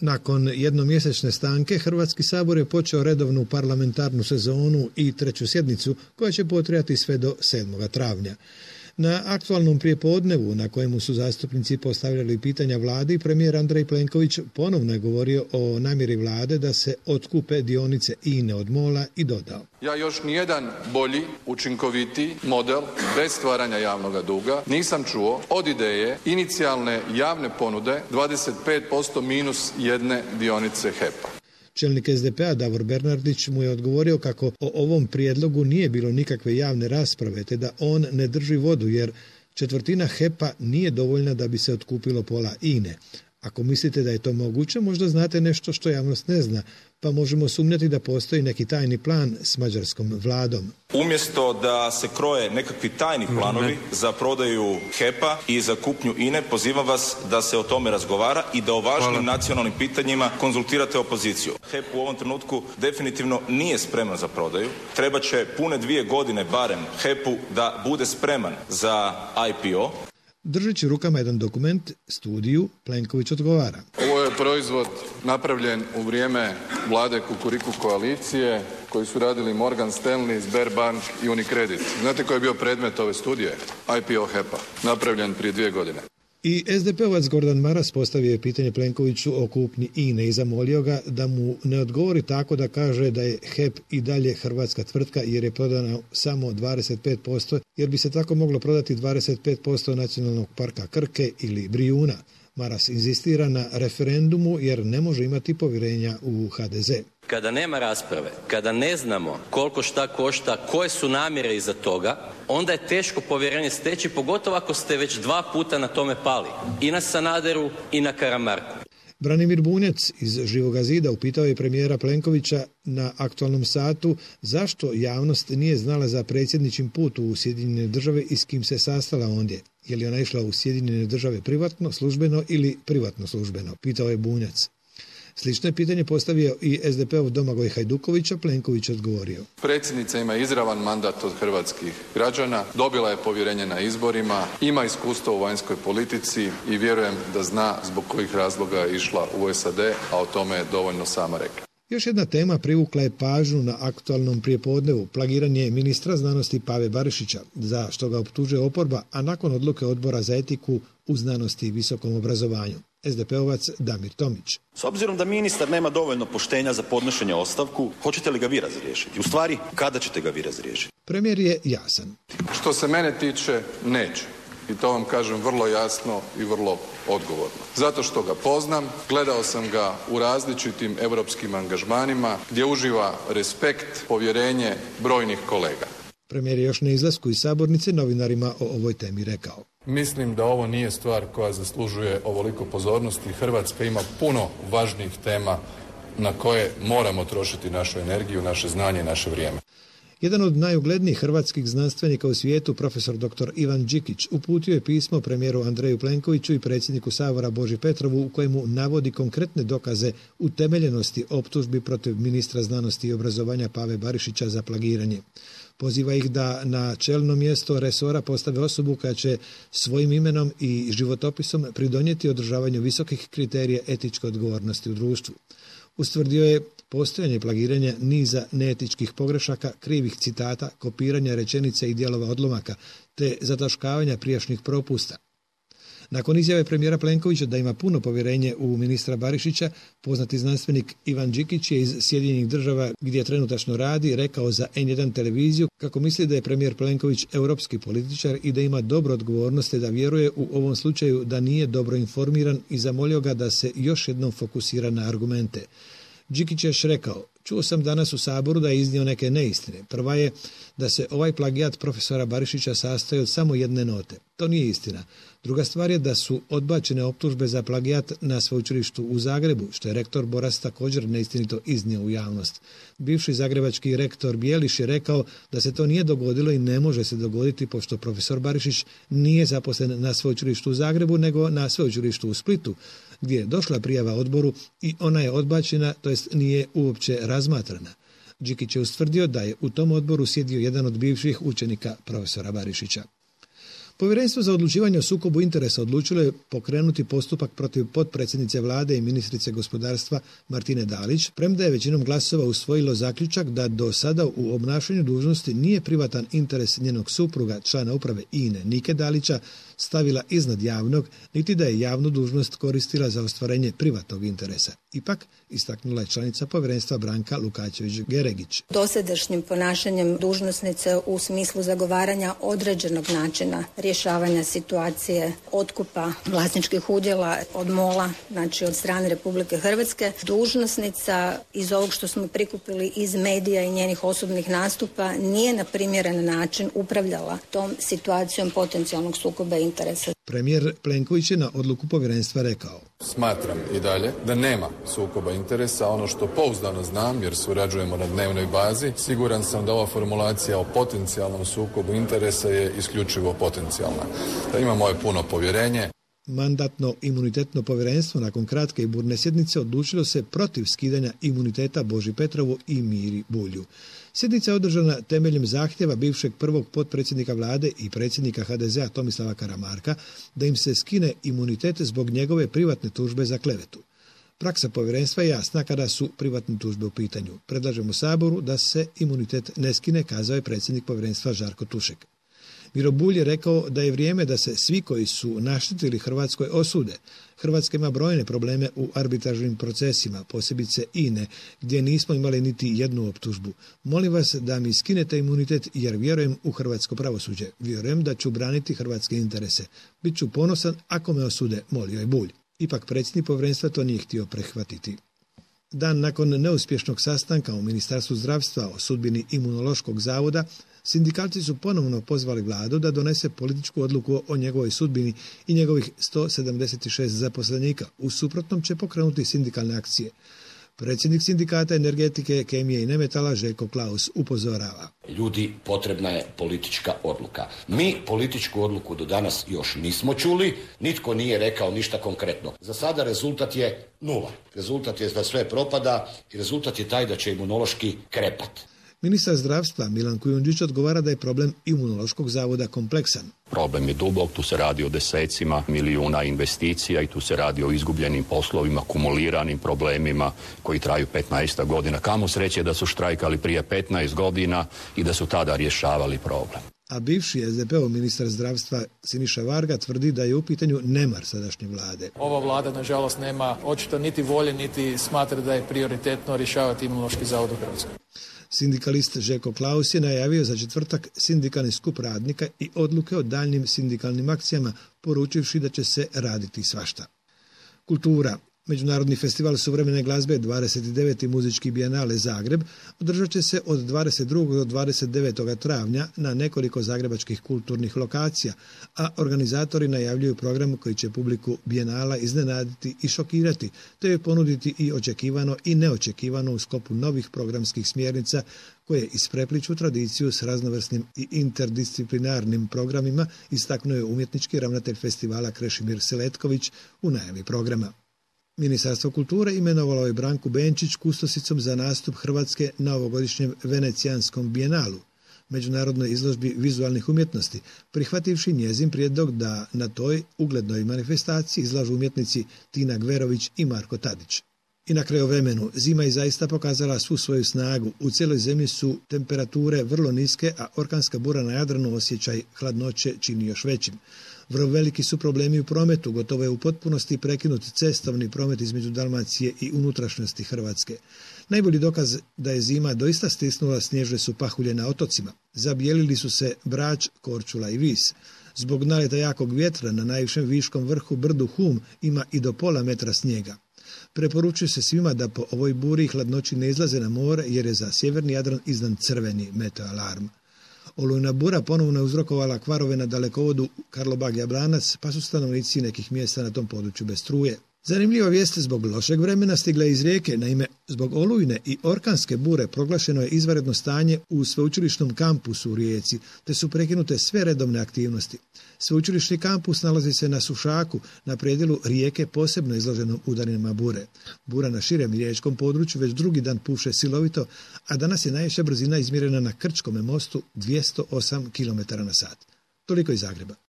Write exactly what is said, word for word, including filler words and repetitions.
Nakon jednomjesečne stanke, Hrvatski sabor je počeo redovnu parlamentarnu sezonu i treću sjednicu koja će potrajati sve do sedmog travnja. Na aktualnom prijepodnevu na kojemu su zastupnici postavljali pitanja vladi, premijer Andrej Plenković ponovno je govorio o namjeri vlade da se otkupe dionice I N E od MOL-a i dodao: Ja još nijedan bolji, učinkovitiji model bez stvaranja javnog duga nisam čuo od ideje inicijalne javne ponude dvadeset pet posto minus jedne dionice H E P-a. Čelnik S D P-a Davor Bernardić mu je odgovorio kako o ovom prijedlogu nije bilo nikakve javne rasprave, te da on ne drži vodu jer četvrtina H E P-a nije dovoljna da bi se otkupilo pola I N E. Ako mislite da je to moguće, možda znate nešto što javnost ne zna, pa možemo sumnjati da postoji neki tajni plan s mađarskom vladom. Umjesto da se kroje nekakvi tajni planovi za prodaju H E P-a i za kupnju I N E, pozivam vas da se o tome razgovara i da o važnim nacionalnim pitanjima konzultirate opoziciju. H E P u ovom trenutku definitivno nije spreman za prodaju. Treba će pune dvije godine barem H E P-u da bude spreman za I P O. Držeći rukama jedan dokument, studiju, Plenković odgovara: Ovo je proizvod napravljen u vrijeme vlade Kukuriku koalicije koji su radili Morgan Stanley, Sberbank i Unicredit. Znate koji je bio predmet ove studije? I P O H E P-a, napravljen prije dvije godine. I S D P-ovac Gordan Maras postavio je pitanje Plenkoviću o kupnji I N E i zamolio ga da mu ne odgovori tako da kaže da je H E P i dalje hrvatska tvrtka jer je prodana samo dvadeset pet posto, jer bi se tako moglo prodati dvadeset pet posto nacionalnog parka Krke ili Brijuna. Maras inzistira na referendumu jer ne može imati povjerenja u H D Z. Kada nema rasprave, kada ne znamo koliko šta košta, koje su namjere iza toga, onda je teško povjerenje steći, pogotovo ako ste već dva puta na tome pali. I na Sanaderu i na Karamarku. Branimir Bunjac iz Živoga zida upitao je premijera Plenkovića na aktualnom satu zašto javnost nije znala za predsjedničin put u Sjedinjene države i s kim se sastala ondje. Je li ona išla u Sjedinjene države privatno, službeno ili privatno službeno, pitao je Bunjac. Slično je pitanje postavio i S D P-ov Domagoj Hajdukovića, Plenković odgovorio: Predsjednica ima izravan mandat od hrvatskih građana, dobila je povjerenje na izborima, ima iskustvo u vanjskoj politici i vjerujem da zna zbog kojih razloga je išla u S A D, a o tome je dovoljno sama rekla. Još jedna tema privukla je pažnju na aktualnom prijepodnevu, plagiranje ministra znanosti Pave Barišića, za što ga optužuje oporba, a nakon odluke Odbora za etiku u znanosti i visokom obrazovanju. S D P-ovac Damir Tomić: S obzirom da ministar nema dovoljno poštenja za podnošenje ostavku, hoćete li ga vi razriješiti? U stvari, kada ćete ga vi razriješiti? Premijer je jasan. Što se mene tiče, neće. I to vam kažem vrlo jasno i vrlo odgovorno. Zato što ga poznam, gledao sam ga u različitim europskim angažmanima gdje uživa respekt, povjerenje brojnih kolega. Premijer je još na izlasku iz sabornice novinarima o ovoj temi rekao: Mislim da ovo nije stvar koja zaslužuje ovoliko pozornosti. Hrvatska ima puno važnijih tema na koje moramo trošiti našu energiju, naše znanje i naše vrijeme. Jedan od najuglednijih hrvatskih znanstvenika u svijetu, profesor doktor Ivan Đikić, uputio je pismo premijeru Andreju Plenkoviću i predsjedniku Sabora Boži Petrovu u kojemu navodi konkretne dokaze utemeljenosti optužbi protiv ministra znanosti i obrazovanja Pave Barišića za plagiranje. Poziva ih da na čelno mjesto resora postave osobu koja će svojim imenom i životopisom pridonijeti održavanju visokih kriterija etičke odgovornosti u društvu. Ustvrdio je postojanje plagiranja niza neetičkih pogrešaka, krivih citata, kopiranja rečenice i dijelova odlomaka, te zataškavanja prijašnjih propusta. Nakon izjave premijera Plenkovića da ima puno povjerenje u ministra Barišića, poznati znanstvenik Ivan Đikić je iz Sjedinjenih država, gdje trenutačno radi, rekao za N jedan televiziju kako misli da je premijer Plenković europski političar i da ima dobro odgovornosti, da vjeruje u ovom slučaju da nije dobro informiran i zamolio ga da se još jednom fokusira na argumente. Đikić je još rekao: Čuo sam danas u Saboru da je iznio neke neistine. Prva je da se ovaj plagijat profesora Barišića sastoji od samo jedne note. To nije istina. Druga stvar je da su odbačene optužbe za plagijat na sveučilištu u Zagrebu, što je rektor Boras također neistinito iznio u javnost. Bivši zagrebački rektor Bijeliš je rekao da se to nije dogodilo i ne može se dogoditi pošto profesor Barišić nije zaposlen na sveučilištu u Zagrebu nego na sveučilištu u Splitu, gdje je došla prijava odboru i ona je odbačena, to jest nije uopće razmatrana. Đikić je ustvrdio da je u tom odboru sjedio jedan od bivših učenika profesora Barišića. Povjerenstvo za odlučivanje o sukobu interesa odlučilo je pokrenuti postupak protiv potpredsjednice vlade i ministrice gospodarstva Martine Dalić, premda je većinom glasova usvojilo zaključak da do sada u obnašanju dužnosti nije privatan interes njenog supruga, člana uprave I N E Nike Dalića, stavila iznad javnog, niti da je javnu dužnost koristila za ostvarenje privatnog interesa. Ipak, istaknula je članica povjerenstva Branka Lukačević-Geregić. Dosadašnjim ponašanjem dužnosnice u smislu zagovaranja određenog načina rješavanja situacije otkupa vlasničkih udjela od mola, znači od strane Republike Hrvatske, dužnosnica iz ovog što smo prikupili iz medija i njenih osobnih nastupa nije na primjeren način upravljala tom situacijom potencijalnog sukoba interesa. Premijer Plenković je na odluku povjerenstva rekao: Smatram i dalje da nema sukoba interesa. Ono što pouzdano znam, jer surađujemo na dnevnoj bazi, siguran sam da ova formulacija o potencijalnom sukobu interesa je isključivo potencijalna. Da ima moje puno povjerenje. Mandatno-imunitetno povjerenstvo nakon kratke i burne sjednice odlučilo se protiv skidanja imuniteta Boži Petrovu i Miri Bulju. Sjednica je održana temeljem zahtjeva bivšeg prvog potpredsjednika vlade i predsjednika H D Z-a Tomislava Karamarka da im se skine imunitet zbog njegove privatne tužbe za klevetu. Praksa povjerenstva je jasna kada su privatne tužbe u pitanju. Predlažemo Saboru da se imunitet ne skine, kazao je predsjednik povjerenstva Žarko Tušek. Miro Bulj je rekao da je vrijeme da se svi koji su naštetili Hrvatskoj osude. Hrvatska ima brojne probleme u arbitražnim procesima, posebice I N E, gdje nismo imali niti jednu optužbu. Molim vas da mi skinete imunitet jer vjerujem u hrvatsko pravosuđe. Vjerujem da ću braniti hrvatske interese. Biću ponosan ako me osude, molio je Bulj. Ipak predsjednik povjerenstva to nije htio prihvatiti. Dan nakon neuspješnog sastanka u Ministarstvu zdravstva o sudbini Imunološkog zavoda, sindikalci su ponovno pozvali vladu da donese političku odluku o njegovoj sudbini i njegovih sto sedamdeset šest zaposlenika. U suprotnom će pokrenuti sindikalne akcije. Predsjednik sindikata energetike, kemije i nemetala Željko Klaus upozorava. Ljudi, potrebna je politička odluka. Mi političku odluku do danas još nismo čuli, nitko nije rekao ništa konkretno. Za sada rezultat je nula. Rezultat je da sve propada i rezultat je taj da će imunološki krepat. Ministar zdravstva Milan Kujundžić odgovara da je problem Imunološkog zavoda kompleksan. Problem je dubok, tu se radi o desecima milijuna investicija i tu se radi o izgubljenim poslovima, kumuliranim problemima koji traju petnaest godina. Kamo sreće da su štrajkali prije petnaest godina i da su tada rješavali problem. A bivši S D P-ov ministar zdravstva Siniša Varga tvrdi da je u pitanju nemar sadašnje vlade. Ova vlada, nažalost, nema očito niti volje, niti smatra da je prioritetno rješavati Imunološki zavod u Hrvatskoj. Sindikalist Željko Klaus je najavio za četvrtak sindikalni skup radnika i odluke o daljnim sindikalnim akcijama, poručivši da će se raditi svašta. Kultura. Međunarodni festival suvremene glazbe dvadeset deveti muzički bijenale Zagreb održat će se od dvadeset drugog do dvadeset devetog travnja na nekoliko zagrebačkih kulturnih lokacija, a organizatori najavljuju program koji će publiku bijenala iznenaditi i šokirati, te je ponuditi i očekivano i neočekivano u sklopu novih programskih smjernica koje isprepliču tradiciju s raznovrsnim i interdisciplinarnim programima, istaknuo je umjetnički ravnatelj festivala Krešimir Seletković u najavi programa. Ministarstvo kulture imenovalo je Branku Benčić kustosicom za nastup Hrvatske na ovogodišnjem Venecijanskom bijenalu, međunarodnoj izložbi vizualnih umjetnosti, prihvativši njezin prijedlog da na toj uglednoj manifestaciji izlažu umjetnici Tina Gverović i Marko Tadić. I na kraju vremenu, zima je zaista pokazala svu svoju snagu. U cijeloj zemlji su temperature vrlo niske, a orkanska bura na Jadranu osjećaj hladnoće čini još većim. Vrlo veliki su problemi u prometu, gotovo je u potpunosti prekinut cestovni promet između Dalmacije i unutrašnjosti Hrvatske. Najbolji dokaz da je zima doista stisnula snježne su pahulje na otocima. Zabijelili su se Brač, Korčula i Vis. Zbog naleta jakog vjetra na najvišem viškom vrhu brdu Hum ima i do pola metra snijega. Preporučuje se svima da po ovoj buri i hladnoći ne izlaze na more jer je za sjeverni Jadran izdan crveni meteoalarm. Olujna bura ponovno je uzrokovala kvarove na dalekovodu Karlobag-Jablanac, pa su stanovnici nekih mjesta na tom području bez struje. Zanimljiva vijest zbog lošeg vremena stigla iz Rijeke. Naime, zbog olujne i orkanske bure proglašeno je izvanredno stanje u sveučilišnom kampusu u Rijeci, te su prekinute sve redovne aktivnosti. Sveučilišni kampus nalazi se na Sušaku, na predjelu Rijeke posebno izloženom udarima bure. Bura na širem riječkom području već drugi dan puše silovito, a danas je najviša brzina izmjerena na Krčkome mostu dvjesto osam kilometara na sat. Toliko iz Zagreba.